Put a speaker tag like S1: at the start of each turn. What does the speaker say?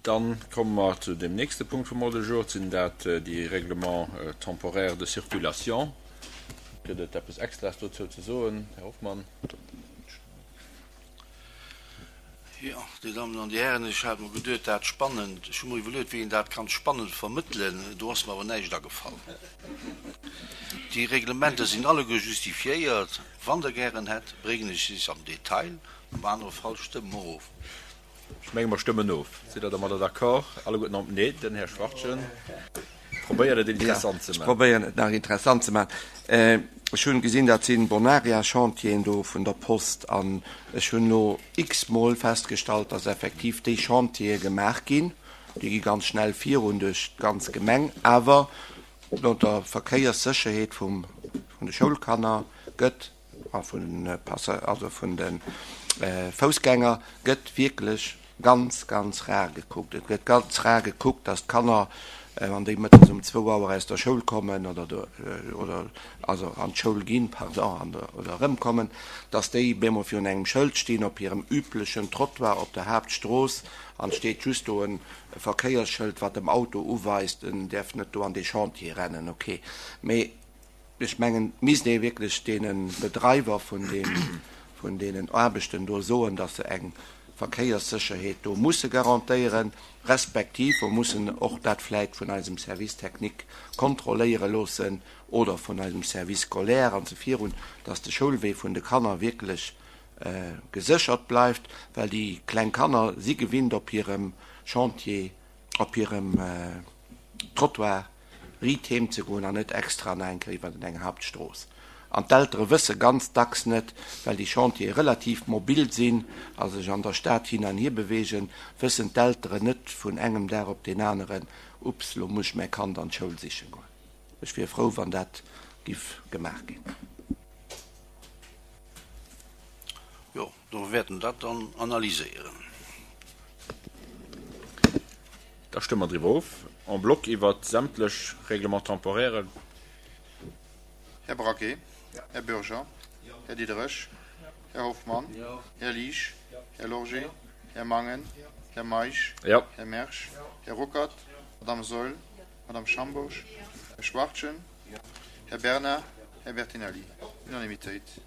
S1: Dann komme mer zu dem nächste Punkt vum Ordre du jour, sinn dat déi Règlements temporaires de circulation. Gëtt et eppes Extraes dozou ze soen, Här Hoffmann?
S2: Jo, Dir Dammen an Dir Hären, ech hat mer geduet, dat spannend, ech hu mer iwwerluet, wéi een dat kann spannend vermëttelen, do ass mer awer näischt agefall. Déi Reglementer sinn alleguer justifiéiert. Wann Der gären hätt, bréngen ech se am Detail, am anere Fall stëmme mer of.
S1: Ech menge mer stëmmen of. Sidd Der domadder d'accord alleguerten? An nee, den Här Schwachtgen probéiert et interessant ze
S3: Ech
S1: maachen.
S3: probéieren et nach interessant ze maachen. Ech hunn gesinn, dat sinn Bonaria-Chantieren do vun der Post an ech hunn elo x-mol festgestallt, dass effektiv déi Chantiere gemaach ginn. Déi gi ganz schnell virun duerch d'ganz Gemeng, awer no der Verkéierssécherheet vum vun de Schoulkanner gëtt a vun de Passa also vun de Foussgänger gëtt wierklech ganz, ganz rar gekuckt. Et gëtt ganz rar gekuckt, dass d'Kanner, wann déi mëttes um zwou Auer aus der Schoul kommen oder do oder also an d'Schoul ginn, pardon, an oder erëmkommen, dass déi bemol virun engem Schëld stinn op hirem üblechen Trottoir op der Haaptstrooss an et steet just do e Verkéiersschëld, wat dem Auto uweist, en däerf net do an dee Chantier rennen. Okay, mee Ech mengen, et misst ee wierklech deene Bedreiwer vun deem, vun deenen Aarbechten do soen, datt se eng Verkéierssécherheet do musse garantéieren, respektiv mer mussen och dat vläicht vun eisem Service technique kontrolléiere loossen oder vun eisem Service scolaire an esou virun, datt de Schoulwee vun de Kanner wierklech geséchert bleift, well déi kleng Kanner si gewinnt op hirem Chantier, op hirem Trottoir riit heem ze goen an net extra nach eng Kéier iwwer eng Hauptstrooss. An d'Eltere wësse ganz dacks net, well déi Chantiere relativ mobil sinn a sech an der Stad hin an hier beweegen, wëssen d'Elteren net vun engem Dag op deen aneren, Ups, lo muss ech mäi Kand an d'Schoul siche goen. Ech wier frou, wann dat giff gemaach ginn.
S2: Jo, do wäerten dat dann analyséieren.
S1: Da stëmme mer driwwer of, en bloc iwwer sämtlech Règlements temporaires.
S4: Här Braquet, Här Bürger, Här Diderich, Här Hoffmann, Här Liesch, Här Lorgé, Här Mangen, Här Meisch, Här Mersch, Här Ruckert, Madame Saeul, Madame Schambourg, Här Schwachtgen, Här Bernard, Här Bertinelli. Unanimitéit.